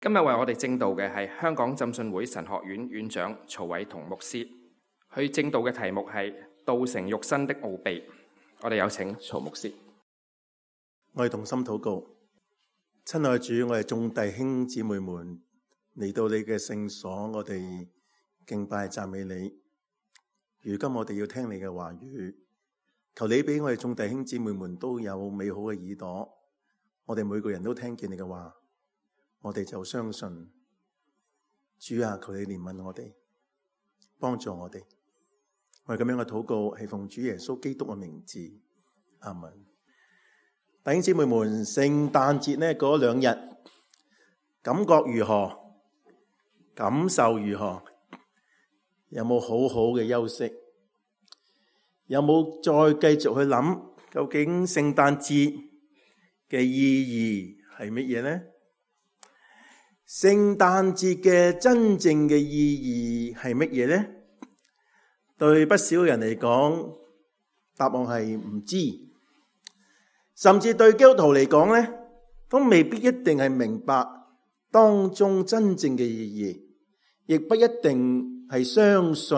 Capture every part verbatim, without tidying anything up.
今日為我哋證道嘅係香港浸信會神學院院長曹偉同牧師，佢證道嘅題目係道成肉身的奧秘。我哋有請曹牧師。我哋同心禱告。親愛主，我哋眾弟兄姊妹們嚟到你嘅聖所，我哋敬拜讚美你。如今我哋要聽你嘅話語，求你俾我哋眾弟兄姊妹們都有美好嘅耳朵，我哋每個人都聽見你嘅話，我哋就相信。主啊，求你憐憫我哋，幫助我哋。我哋咁樣嘅禱告係奉主耶穌基督嘅名字，阿門。弟兄姊妹們，聖誕節呢嗰兩日感覺如何？感受如何？有冇好好嘅休息？有冇再繼續去諗究竟聖誕節嘅意義係乜嘢呢？聖誕節嘅真正嘅意義係乜嘢呢？對不少人嚟講，答案係唔知，甚至對基督徒嚟講呢，都未必一定係明白當中真正嘅意義，亦不一定係相信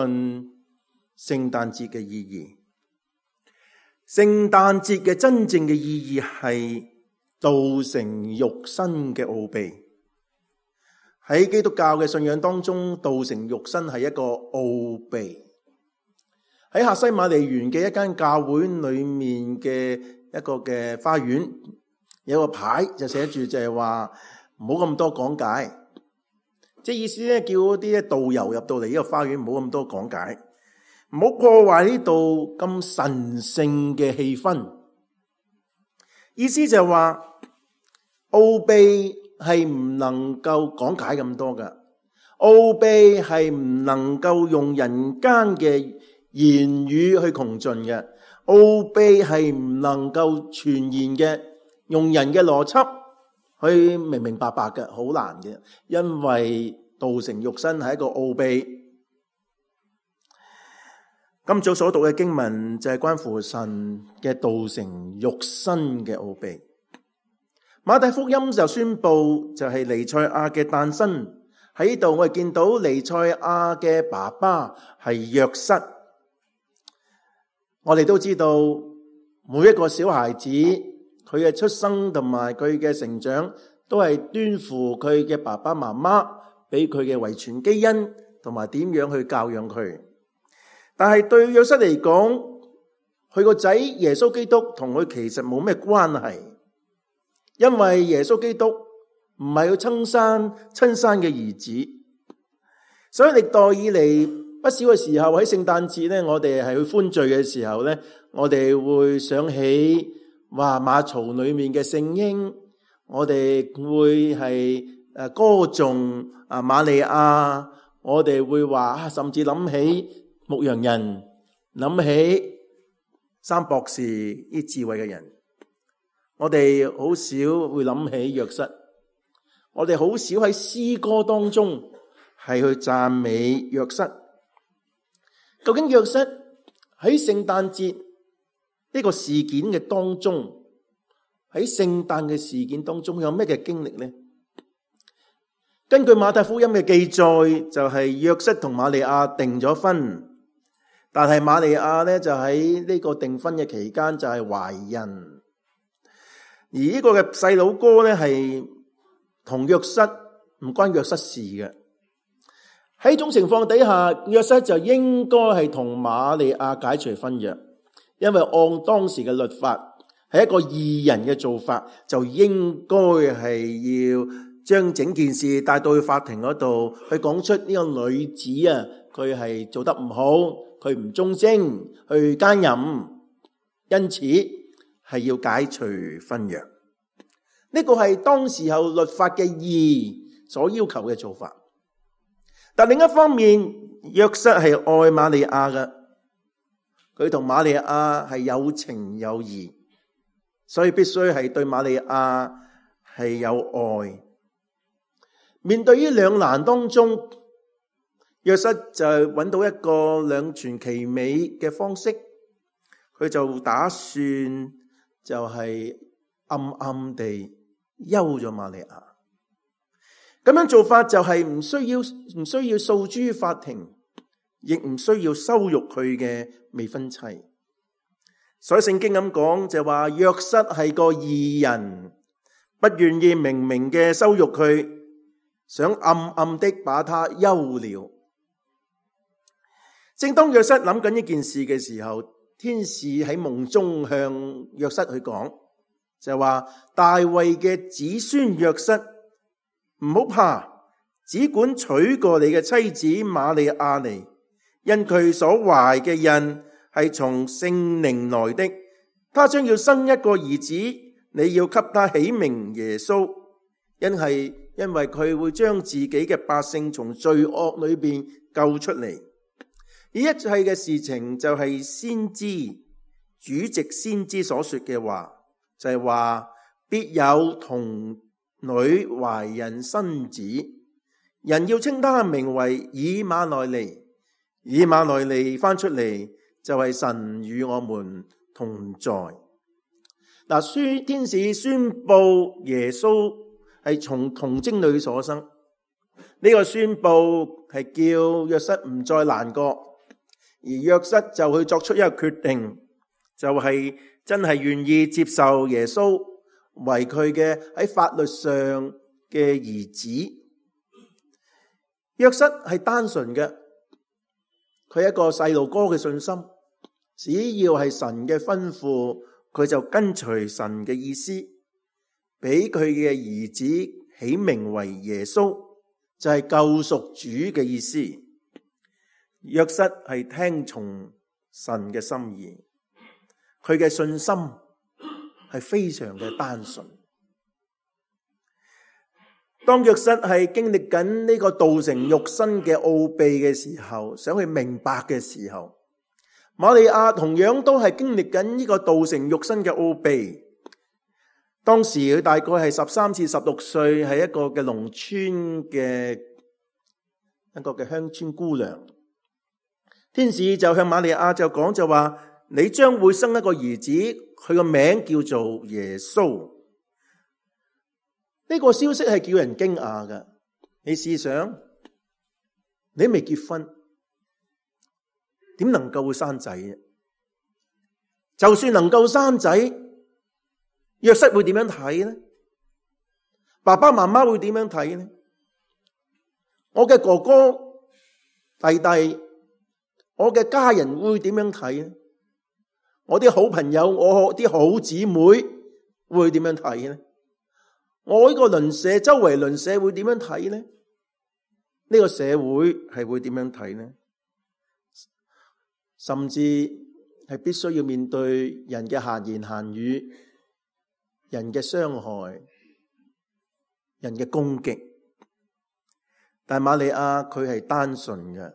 聖誕節嘅意義。聖誕節嘅真正嘅意義係道成肉身嘅奧秘。喺基督教嘅信仰當中，道成肉身係一個奧秘。喺客西馬尼園嘅一間教會裏面嘅一個嘅花園，有個牌就寫住就係話唔好咁多講解，即係意思咧，叫嗰啲導遊入到嚟呢個花園唔好咁多講解，唔好破壞呢度咁神聖嘅氣氛。意思就係話奧秘係唔能夠講解咁多㗎，奧秘係唔能夠用人間嘅言語去窮盡嘅，奧秘係唔能夠傳言嘅，用人嘅邏輯去明明白白嘅，好難嘅，因為道成肉身係一個奧秘。今早所讀嘅經文就係關乎神嘅道成肉身嘅奧秘。馬太福音就宣布就係彌賽亞嘅誕生。喺呢度我哋見到彌賽亞嘅爸爸係約瑟。我哋都知道每一個小孩子佢嘅出生同埋佢嘅成長都係端乎佢嘅爸爸媽媽俾佢嘅遺傳基因同埋點樣去教養佢。但係對約瑟嚟講，佢個仔耶穌基督同佢其實冇咩關係，因為耶穌基督唔係佢親生親生嘅兒子。所以歷代以嚟不少嘅時候喺聖誕節咧，我哋係去歡聚嘅時候咧，我哋會想起話馬槽裏面嘅聖嬰，我哋會係誒歌頌啊瑪利亞，我哋會話甚至諗起牧羊人，諗起三博士啲智慧嘅人。我哋好少會諗起約瑟，我哋好少喺詩歌當中係去讚美約瑟。究竟約瑟喺聖誕節呢個事件嘅當中，喺聖誕嘅事件當中有咩嘅經歷呢？根據馬太福音嘅記載，就係約瑟同瑪利亞訂咗婚，但係瑪利亞咧就喺呢個訂婚嘅期間就係懷孕，而呢個嘅細佬哥咧係同約瑟唔關約瑟事嘅。喺呢種情況底下，約瑟就應該係同瑪利亞解除婚約，因為按當時嘅律法係一個義人嘅做法，就應該係要將整件事帶到去法庭嗰度，去講出呢個女子啊，佢係做得唔好，佢唔忠貞，去奸淫，因此係要解除婚約。呢個係當時候律法嘅義所要求嘅做法。但另一方面，約瑟係愛瑪利亞嘅，佢同瑪利亞係有情有義，所以必須係對瑪利亞係有愛。面對於兩難當中，約瑟就揾到一個兩全其美嘅方式，佢就打算就係暗暗地休咗瑪利亞。咁樣做法就係唔需要唔需要訴諸於法庭，亦唔需要羞辱佢嘅未婚妻。所以聖經咁講就話，約瑟係個義人，不願意明明嘅羞辱佢，想暗暗的把他休了。正當約瑟諗緊呢件事嘅時候，天使喺夢中向約瑟去講，就話大衛嘅子孫約瑟，唔好怕，只管娶過你嘅妻子瑪利亞嚟，因佢所懷嘅孕係從聖靈來的，他將要生一個兒子，你要給他起名耶穌，因係因為佢會將自己嘅百姓從罪惡裏邊救出嚟。呢一切嘅事情就係先知主藉先知所說嘅話，就係話必有童女懷孕生子，人要稱他名為以馬內利。以馬內利翻出嚟就係神與我們同在。嗱，宣天使宣布耶穌係從童貞女所生，呢個宣布係叫約瑟唔再難過。而約瑟就去作出一個決定，就係真係願意接受耶穌為佢嘅喺法律上嘅兒子。約瑟係單純嘅，佢係一個細路哥嘅信心，只要係神嘅吩咐，佢就跟隨神嘅意思，俾佢嘅兒子起名為耶穌，就係救贖主嘅意思。約瑟係聽從神嘅心意，佢嘅信心係非常嘅單純。當約瑟係經歷緊呢個道成肉身嘅奧秘嘅時候，想去明白嘅時候，瑪利亞同樣都係經歷緊呢個道成肉身嘅奧秘。當時佢大概係十三至十六歲，係一個嘅農村嘅一個嘅鄉村姑娘。天使就向瑪利亞就講，就話你將會生一個兒子，佢個名叫做耶穌。呢個消息係叫人驚訝㗎。你試想，你未結婚，點能夠會生仔？就算能夠生仔，約瑟會點樣睇呢？爸爸媽媽會點樣睇呢？我嘅哥哥弟弟，我嘅家人會點樣睇呢？我啲好朋友，我啲好姊妹會點樣睇呢？我呢個鄰舍，周圍鄰舍會點樣睇呢？呢個社會係會點樣睇呢？甚至係必須要面對人嘅閒言閒語、人嘅傷害、人嘅攻擊。但瑪利亞佢係單純嘅。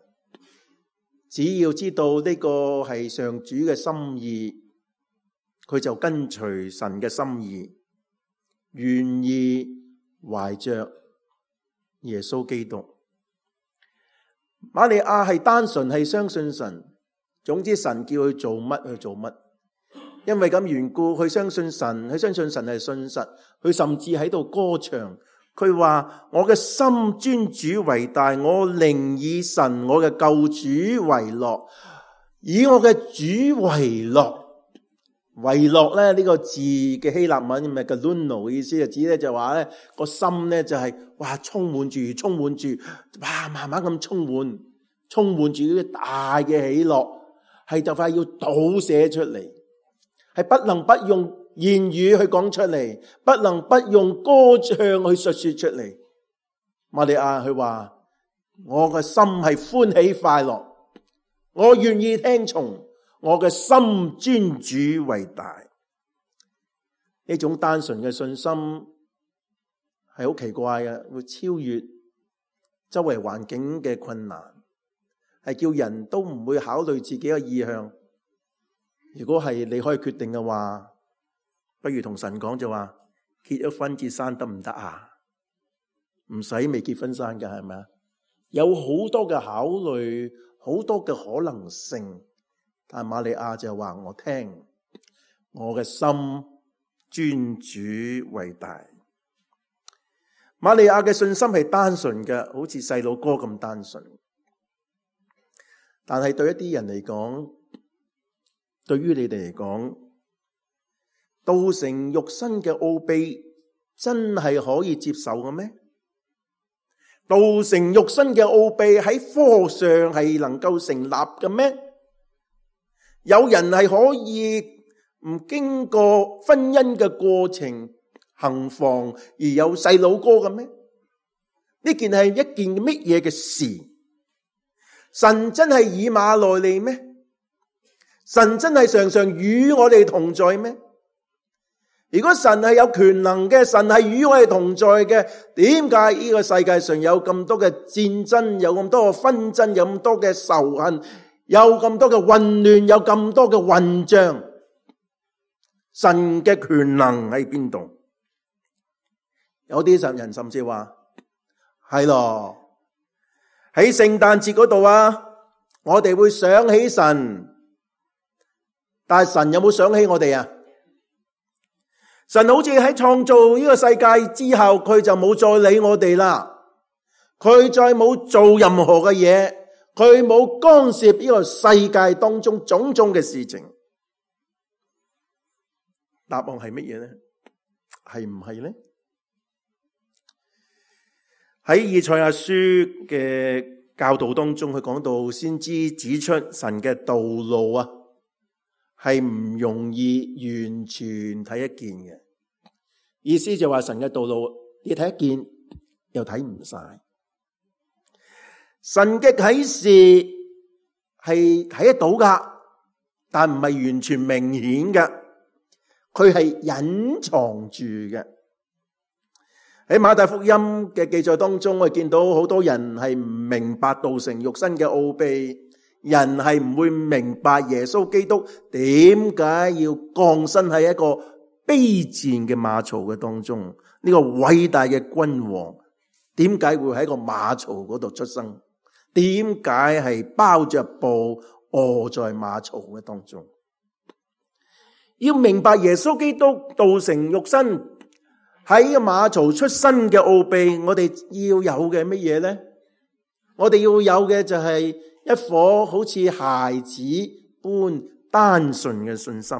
只要知道呢個係上主嘅心意，佢就跟隨神嘅心意，願意懷着耶穌基督。瑪利亞係單純係相信神，總之神叫佢做乜去做乜。因為咁緣故，佢相信神，佢相信神係信實，佢甚至喺度歌唱。佢話我嘅心尊主為大，我寧以神我嘅救主為樂，以我嘅主為樂。為樂咧，呢個字嘅希臘文咪叫 luno 嘅意思，就指咧就話咧個心咧就係哇充滿住充滿住哇慢慢咁充滿充滿住呢啲大嘅喜樂，係就快要倒瀉出嚟，係不能不用言語去講出嚟，不能不用歌唱去述說出嚟。瑪利亞佢話我嘅心係歡喜快樂，我願意聽從，我嘅心尊主為大。呢種單純嘅信心係好奇怪嘅，會超越周圍環境嘅困難，係叫人都唔會考慮自己嘅意向。如果係你可以決定嘅話，不如同神講，就話結咗婚至生得唔得啊？唔使未結婚生㗎，係咪啊？有好多嘅考慮，好多嘅可能性。但瑪利亞就話我聽，我嘅心尊主為大。瑪利亞嘅信心係單純嘅，好似細路哥咁單純。但係對一啲人嚟講，對於你哋嚟講，道成肉身嘅奧秘真係可以接受嘅咩？道成肉身嘅奧秘喺科學上係能夠成立嘅咩？有人係可以唔經過婚姻嘅過程行房而有細佬哥嘅咩？呢件係一件乜嘢嘅事？神真係以馬內利咩？神真係常常與我哋同在咩？如果神係有權能嘅，神係與我哋同在嘅，點解呢個世界上有咁多嘅戰爭，有咁多嘅紛爭，有咁多嘅仇恨，有咁多嘅混亂，有咁多嘅混帳？神嘅權能喺邊度？有啲人甚至話係咯，喺聖誕節嗰度啊，我哋會想起神，但係神有冇想起我哋啊？神好似喺創造呢個世界之後，佢就冇再理我哋啦，佢再冇做任何嘅嘢，佢冇干涉呢個世界當中種種嘅事情。答案係乜嘢呢？係唔係呢？喺以賽亞書嘅教導當中，佢講到先知指出神嘅道路啊，係唔容易完全睇一見嘅。意思就話神嘅道路，你睇一見又睇唔晒。神嘅啟示係睇得到噶，但唔係完全明顯嘅，佢係隱藏住嘅。喺馬太福音嘅記載當中，我哋見到好多人係唔明白道成肉身嘅奧秘，人係唔會明白耶穌基督點解要降生喺一個卑賤嘅馬槽嘅當中，呢個偉大嘅君王點解會喺一個馬槽嗰度出生？點解係包着布臥在馬槽嘅當中？要明白耶穌基督道成肉身喺個馬槽出生嘅奧秘，我哋要有嘅乜嘢呢？我哋要有嘅就係一顆好似孩子般單純嘅信心。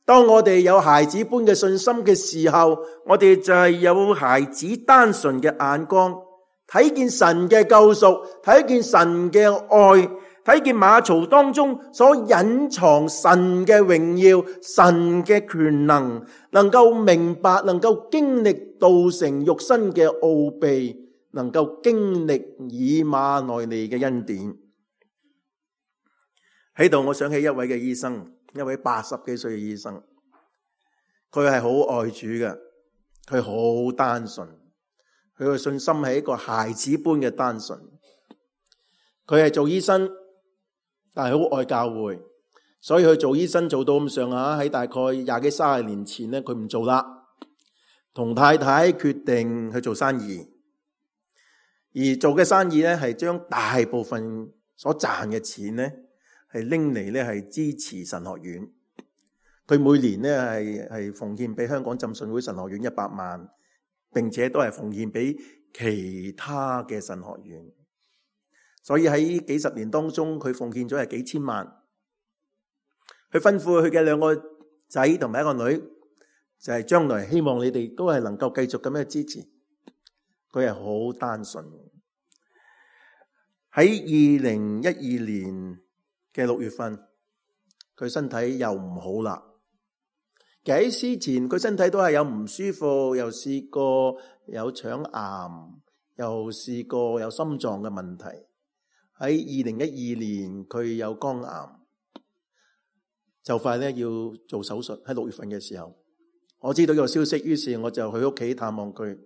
當我哋有孩子般嘅信心嘅時候，我哋就係有孩子單純嘅眼光，睇見神嘅救贖，睇見神嘅愛，睇見馬槽當中所隱藏神嘅榮耀，神嘅權能，能夠明白，能夠經歷道成肉身嘅奧秘，能夠經歷以馬內利嘅恩典。喺度我想起一位嘅醫生，一位八十幾歲嘅醫生，佢係好愛主嘅，佢好單純，佢嘅信心係一個孩子般嘅單純。佢係做醫生，但係好愛教會，所以佢做醫生做到咁上下，喺大概廿幾三十年前咧，佢唔做啦，同太太決定去做生意，而做嘅生意咧係將大部分所賺嘅錢咧係拎嚟咧係支持神學院。佢每年咧係係奉獻俾香港浸信會神學院一百萬，並且都係奉獻俾其他嘅神學院。所以喺幾十年當中，佢奉獻咗係幾千萬。佢吩咐佢嘅兩個仔同埋一個女，就係將來希望你哋都係能夠繼續咁樣支持。佢係好單純。喺二零一二年嘅六月份，佢身體又唔好啦。喺之前佢身體都係有唔舒服，又試過有腸癌，又試過有心臟嘅問題。喺二零一二年佢有肝癌，就快咧要做手術。喺六月份嘅時候，我知道呢個消息，於是我就去屋企探望佢。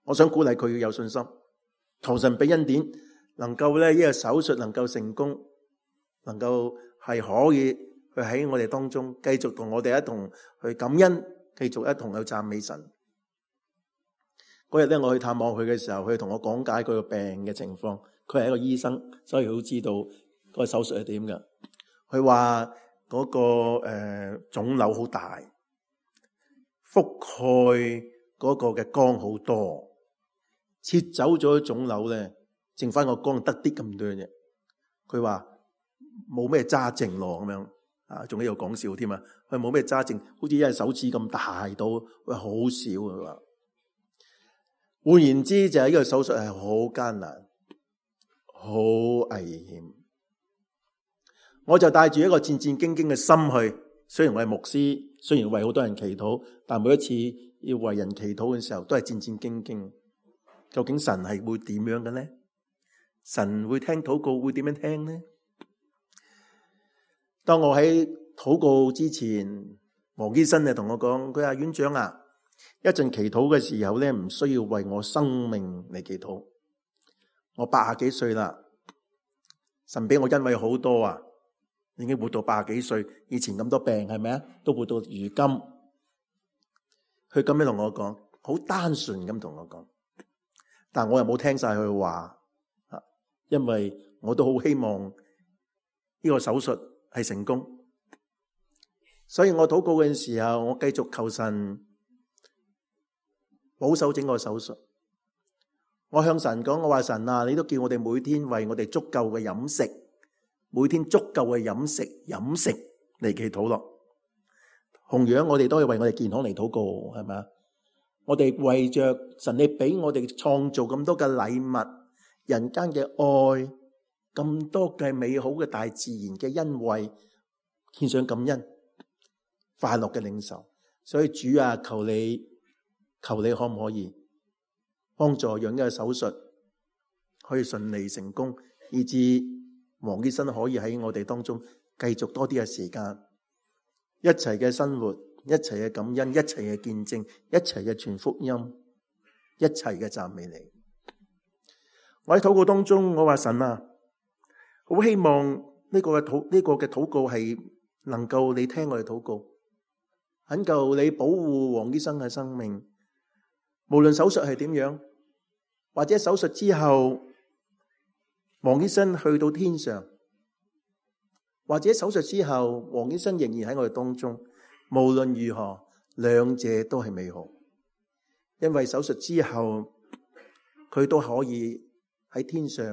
我想鼓勵佢要有信心，求神俾恩典，能夠咧呢個手術能夠成功，能夠係可以去喺我哋當中繼續同我哋一同去感恩，繼續一同去讚美神。嗰日咧我去探望佢嘅時候，佢同我講解佢個病嘅情況。佢係一個醫生，所以佢好知道嗰個手術係點㗎。佢話嗰個誒腫瘤好大，覆蓋嗰個嘅肝好多，切走咗腫瘤咧，剩翻個肝得啲咁多啫。佢話冇咩揸症咯，咁樣啊，仲喺度講笑添啊！佢冇咩揸症，好似一隻手指咁大到，喂，好少啊！佢話換言之，就係呢個手術係好艱難、好危險。我就帶住一個戰戰兢兢嘅心去，雖然我係牧師，雖然為好多人祈禱，但每一次要為人祈禱嘅時候，都係戰戰兢兢。究竟神係會點樣嘅呢？神會聽禱告會點樣聽呢？當我喺禱告之前，黃醫生就同我講，佢話院長啊，一陣祈禱嘅時候咧，唔需要為我生命嚟祈禱。我八十幾歲啦，神俾我恩惠好多啊，已經活到八十幾歲，以前咁多病係咪啊？都活到如今。佢咁樣同我講，好單純咁同我講，但我又冇聽晒佢話，因為我都好希望呢個手術係成功，所以我禱告嘅時候，我繼續求神保守整個手術。我向神講，我話神啊，你都叫我哋每天為我哋足夠嘅飲食，每天足夠嘅飲食飲食嚟祈禱咯。同樣我哋都係為我哋健康嚟禱告，係咪啊？我哋為着神你俾我哋創造咁多嘅禮物，人間嘅愛，咁多嘅美好嘅大自然嘅恩惠，獻上感恩，快樂嘅領受。所以主啊，求你求你可唔可以幫助讓呢個手術可以順利成功，以致黃醫生可以喺我哋當中繼續多啲嘅時間，一齊嘅生活，一齊嘅感恩，一齊嘅見證，一齊嘅傳福音，一齊嘅讚美你。我喺禱告當中，我話神啊，好希望呢個嘅禱呢個嘅禱告係能夠你聽我哋禱告，懇求你保護黃醫生嘅生命，無論手術係點樣，或者手術之後黃醫生去到天上，或者手術之後黃醫生仍然喺我哋當中，無論如何，兩者都係美好，因為手術之後佢都可以喺天上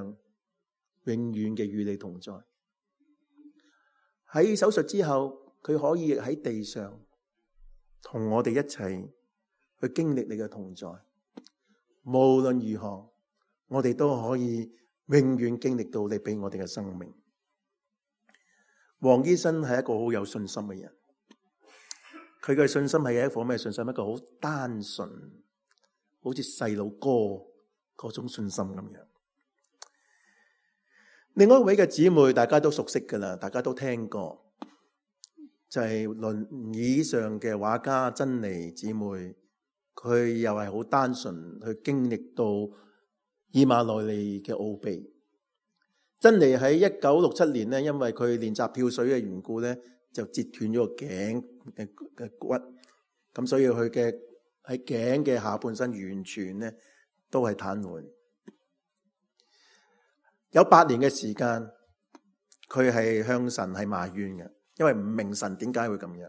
永遠嘅與你同在。喺手術之後，佢可以喺地上同我哋一齊去經歷你嘅同在。無論如何，我哋都可以永遠經歷到你俾我哋嘅生命。黃醫生係一個好有信心嘅人，佢嘅信心係一顆咩信心？一個好單純，好似細路哥嗰種信心咁樣。另外一位嘅姊妹，大家都熟悉噶啦，大家都聽過，就係輪椅上嘅畫家珍妮姊妹。佢又係好單純去經歷到以馬內利嘅奧秘。珍妮喺一九六七年咧，因為佢練習跳水嘅緣故咧，就截斷咗個頸嘅嘅骨，咁所以佢嘅喺頸嘅下半身完全咧都係癱瘓。有八年嘅時間，佢係向神係埋怨嘅，因為唔明神點解會咁樣。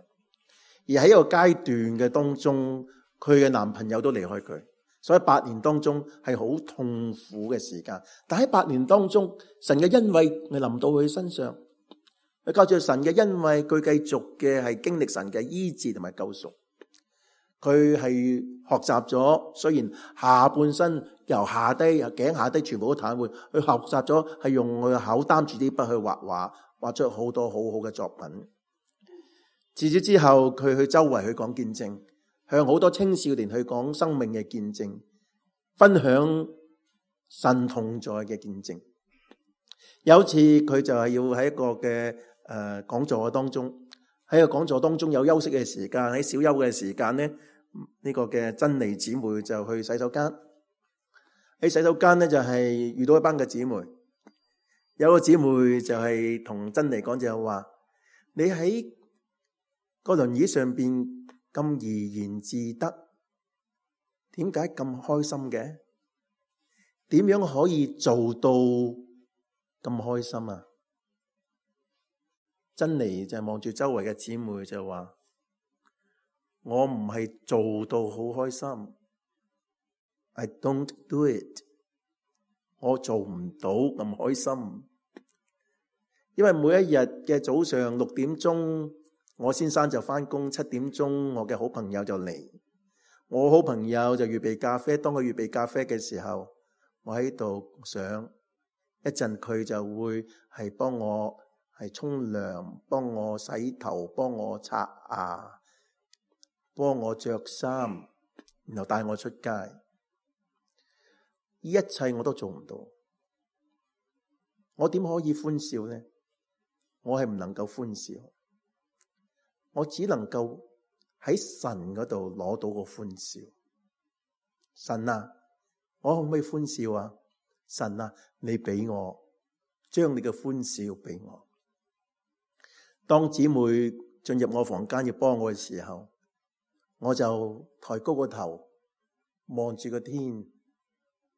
而喺一個階段嘅當中，佢嘅男朋友都離開佢，所以八年當中係好痛苦嘅時間。但喺八年當中，神嘅恩惠係臨到佢身上，佢靠住神嘅恩惠，佢繼續嘅係經歷神嘅醫治同埋救贖。佢係學習咗，雖然下半身由下低由頸下低全部都癱瘓，佢學習咗係用佢嘅口擔住啲筆去畫畫，畫出好多好好嘅作品。自此之後，佢去周圍去講見證，向好多青少年去講生命嘅見證，分享神同在嘅見證。有次佢就係要喺一個嘅誒講座嘅當中，喺個講座當中有休息嘅時間，喺小休嘅時間咧，呢、呢個嘅珍妮姊妹就去洗手間。喺洗手間咧就係遇到一班嘅姊妹，有個姊妹就係同珍妮講就係話：你喺個輪椅上邊咁怡然自得，點解咁開心嘅？點樣可以做到咁開心啊？珍妮就望住周圍嘅姊妹就話：我唔係做到好開心 I don't do it。我做唔到咁開心，因為每一日嘅早上六點鐘，我先生就返工，七點鐘我嘅好朋友就嚟，我好朋友就預備咖啡。當佢預備咖啡嘅時候，我喺度想，一陣佢就會係幫我係沖涼，幫我洗頭，幫我刷牙，幫我着衫，然後帶我出街。呢一切我都做唔到，我點可以歡笑呢？我係唔能夠歡笑，我只能夠喺神嗰度攞到個歡笑。神啊，我可唔可以歡笑啊？神啊，你俾我將你嘅歡笑俾我。當姊妹進入我房間要幫我嘅時候，我就抬高個頭望住個天，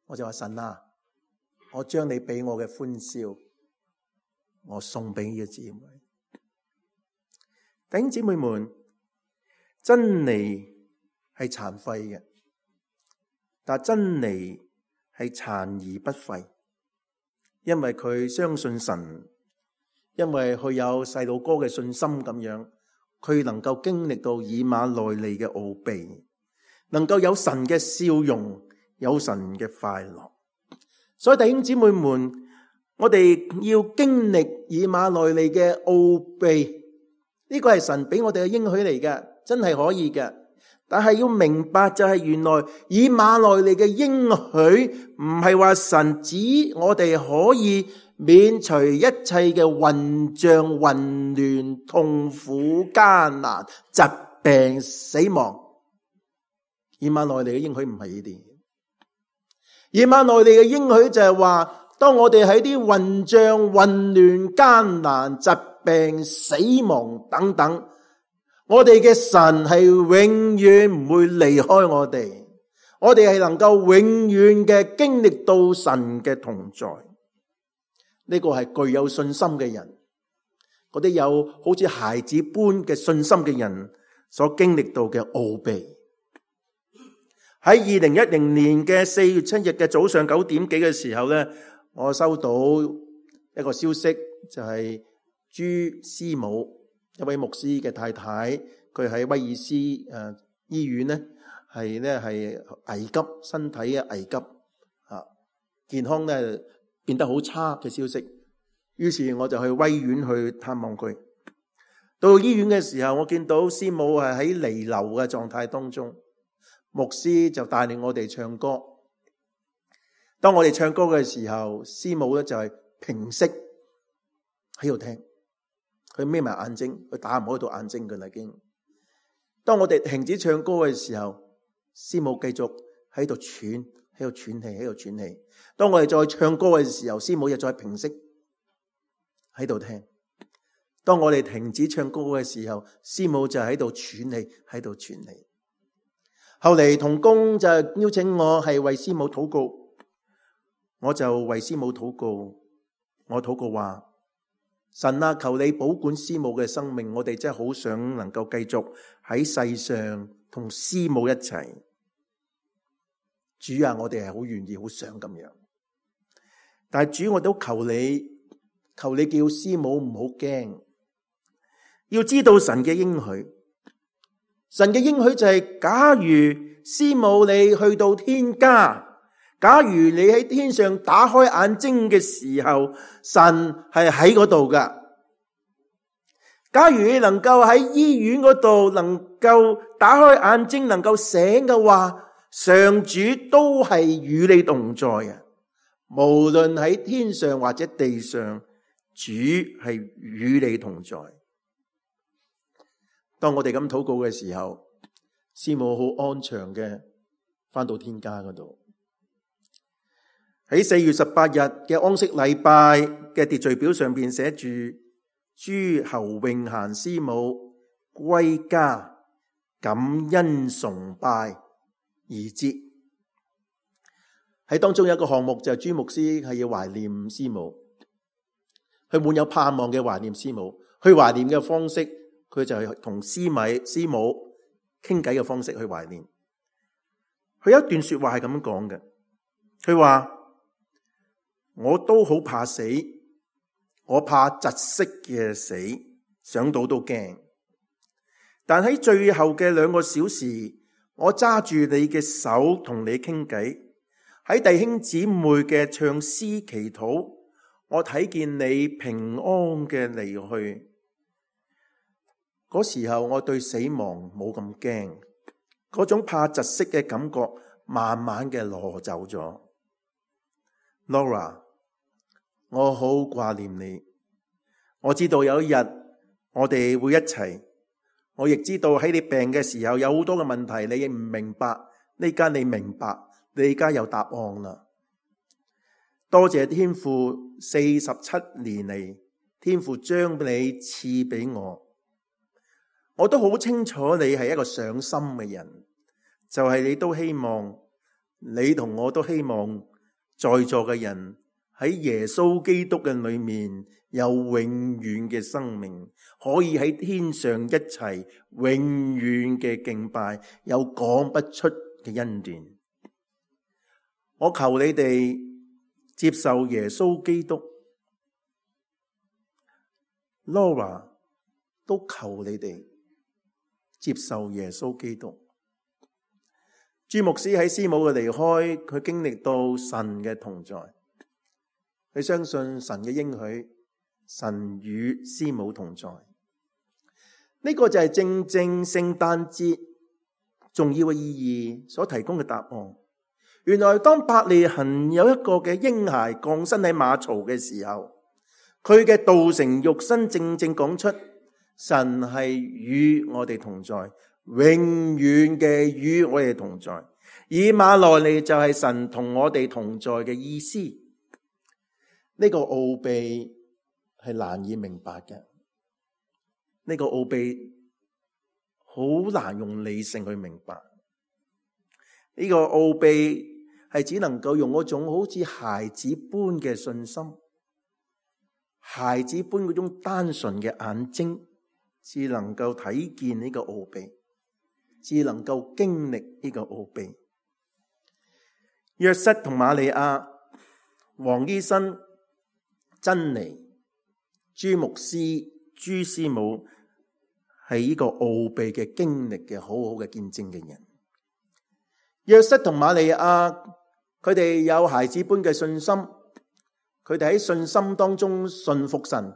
我就話，神啊，我將你俾我嘅歡笑，我送俾呢個姊妹。弟兄姊妹們，真理係殘廢嘅，但真理係殘而不廢，因為佢相信神，因為佢有細路哥嘅信心咁樣，佢能夠經歷到以馬內利嘅奧秘，能夠有神嘅笑容，有神嘅快樂。所以弟兄姊妹們，我哋要經歷以馬內利嘅奧秘，呢個係神俾我哋嘅應許嚟嘅，真係可以嘅。但係要明白就係原來以馬內利嘅應許唔係話神指我哋可以免除一切嘅混帳、混亂、痛苦、艱難、疾病、死亡。以馬內利嘅應許唔係呢啲。以馬內利嘅應許就係話，當我哋喺啲混帳、混亂、艱難、疾病、死亡等等，我哋嘅神係永遠唔會離開我哋，我哋係能夠永遠嘅經歷到神嘅同在。呢個係具有信心嘅人，嗰啲有好似孩子般嘅信心嘅人所經歷到嘅奧秘。喺二零一零年嘅四月七日嘅早上九點幾嘅時候咧，我收到一個消息，就係朱師母，一位牧師嘅太太，佢喺威爾斯誒醫院咧，係咧係危急，身體嘅危急啊，健康咧變得好差嘅消息。於是我就去威院去探望佢。到醫院嘅時候，我見到師母係喺彌留嘅狀態當中，牧師就帶領我哋唱歌。當我哋唱歌嘅時候，師母咧就係平息喺度聽。佢眯埋眼睛，佢打唔開到眼睛嘅啦已經。當我哋停止唱歌嘅時候，師母繼續喺度喘，喺度喘氣，喺度喘氣。當我哋再唱歌嘅時候，師母又再平息喺度聽。當我哋停止唱歌嘅時候，師母就喺度喘氣，喺度喘氣。後嚟同工就邀請我係為師母禱告，我就為師母禱告。我禱告話，神啊，求你保管師母嘅生命，我哋真係好想能夠繼續喺世上同師母一齊。主啊，我哋係好願意好想咁樣，但係主，我都求你，求你叫師母唔好驚，要知道神嘅應許。神嘅應許就係，假如師母你去到天家，假如你喺天上打開眼睛嘅時候，神係喺嗰度噶。假如你能夠喺醫院嗰度能夠打開眼睛，能夠醒嘅話，上主都係與你同在嘅。無論喺天上或者地上，主係與你同在。當我哋咁禱告嘅時候，師母好安詳嘅返到天家嗰度。喺四月十八日嘅安息禮拜嘅秩序表上邊寫住，朱侯永嫻師母歸家，感恩崇拜而節。喺當中有一個項目就係朱牧師係要懷念師母，佢滿有盼望嘅懷念師母。去懷念嘅方式，佢就係同師米師母傾偈嘅方式去懷念。佢有一段說話係咁講嘅，佢話我都好怕死，我怕窒息嘅死，想到都驚。但喺最後嘅兩個小時，我揸住你嘅手同你傾偈，喺弟兄姊妹嘅唱詩祈禱，我睇見你平安嘅離去。嗰時候我對死亡冇咁驚，嗰種怕窒息嘅感覺慢慢嘅攞走咗。Laura， 我好掛念你，我知道有一日我哋會一齊。我亦知道喺你病嘅時候有好多嘅問題，你亦唔明白。呢家你明白，你而家有答案啦。多謝天父四十七年嚟，天父將你賜俾我。我都好清楚你係一個上心嘅人，就係你都希望，你同我都希望在座嘅人喺耶穌基督嘅裏面有永遠嘅生命，可以喺天上一齊永遠嘅敬拜，有講不出嘅恩典。我求你哋接受耶穌基督， Laura 都求你哋接受耶穌基督。朱牧師喺師母嘅離開，佢經歷到神嘅同在，佢相信神嘅應許，神與師母同在。呢個就係正正聖誕節重要嘅意義所提供嘅答案。原來當伯利恆有一個嘅嬰孩降生喺馬槽嘅時候，佢嘅道成肉身正正講出神係與我哋同在，永遠嘅與我哋同在。以馬內利就係神同我哋同在嘅意思。呢個奧秘係難以明白嘅，呢個奧秘好難用理性去明白。呢個奧秘係只能夠用嗰種好似孩子般嘅信心，孩子般嗰種單純嘅眼睛，只能夠睇見呢個奧秘，只能夠經歷呢個奧秘。約瑟同瑪利亞、黃醫生、珍妮、朱牧師、朱師母係呢個奧秘嘅經歷嘅好好嘅見證嘅人。約瑟同瑪利亞，佢哋有孩子般嘅信心，佢哋喺信心當中信服神，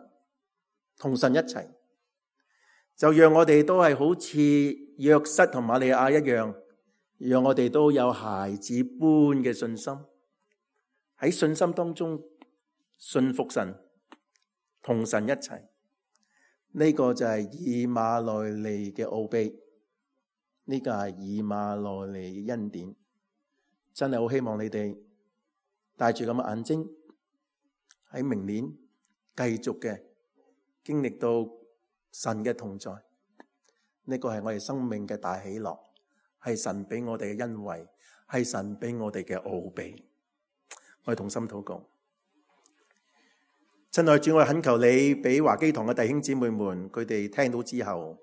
同神一齊，就讓我哋都係好似約瑟同瑪利亞一樣，讓我哋都有孩子般嘅信心，喺信心當中信服神，同神一齊。呢個就係以馬內利嘅奧秘，呢個係以馬內利嘅恩典。真係好希望你哋帶住咁嘅眼睛，喺明年繼續嘅經歷到神嘅同在。呢個係我哋生命嘅大喜樂，係神俾我哋嘅恩惠，係神俾我哋嘅奧秘。我哋同心禱告。親愛主，我懇求你俾華基堂嘅弟兄姊妹們，佢哋聽到之後，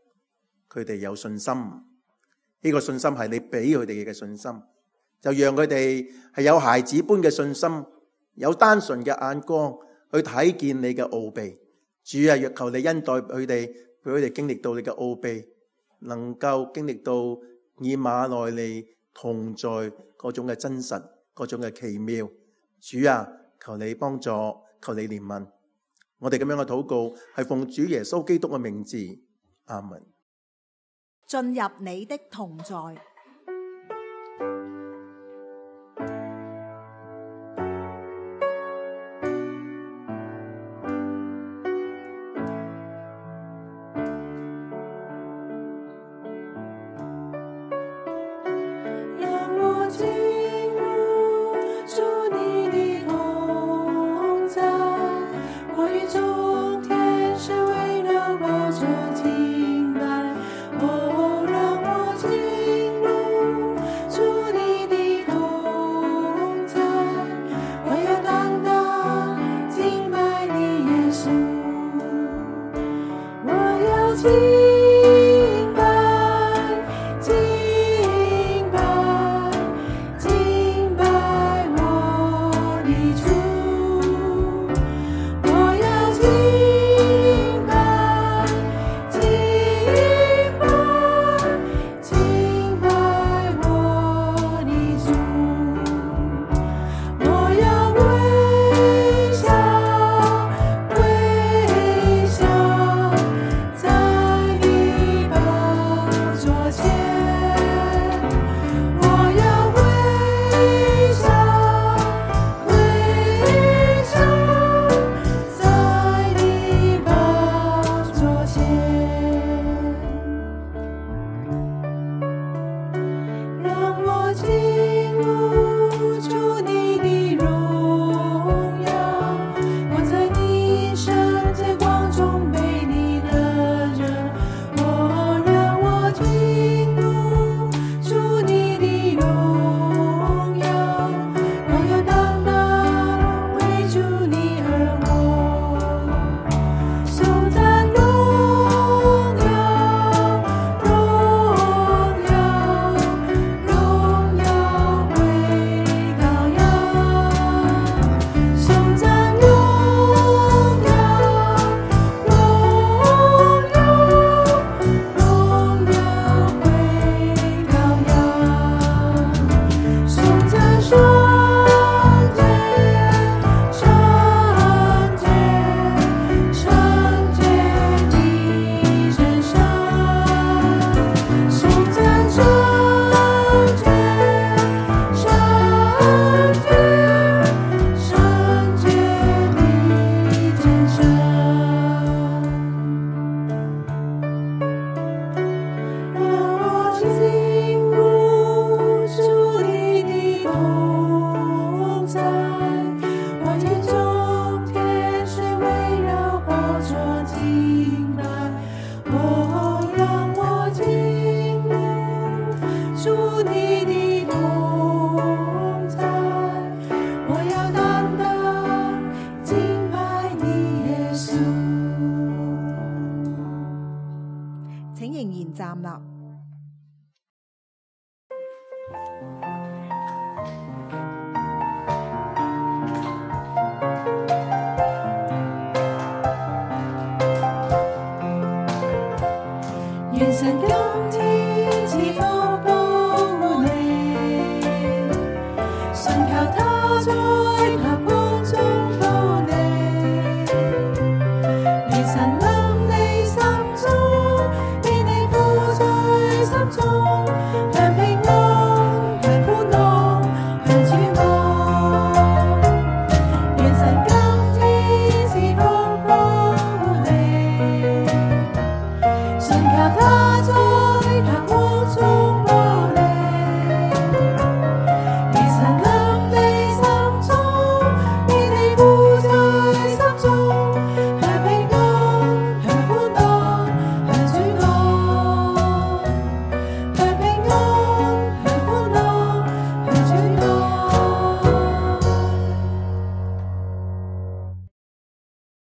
佢哋有信心。呢個信心係你俾佢哋嘅信心，就讓佢哋係有孩子般嘅信心，有單純嘅眼光去睇見你嘅奧秘。主啊，若求你恩待佢哋，俾佢哋經歷到你嘅奧秘，能夠經歷到以馬內利同在嗰種嘅真實，嗰種嘅奇妙。主啊，求你幫助，求你憐憫。我哋咁樣嘅禱告係奉主耶穌基督嘅名字，阿門。進入你的同在。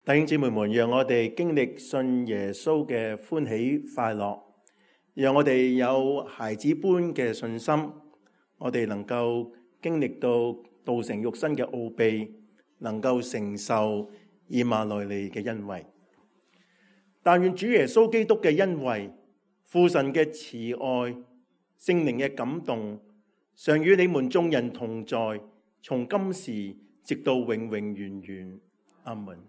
弟兄姊妹們，讓我哋經歷信耶穌嘅歡喜快樂，讓我哋有孩子般嘅信心，我哋能夠經歷到道成肉身嘅奧秘，能夠承受以馬內利嘅恩惠。但願主耶穌基督嘅恩惠、父神嘅慈愛、聖靈嘅感動，常與你們眾人同在，從今時直到永永遠遠。阿門。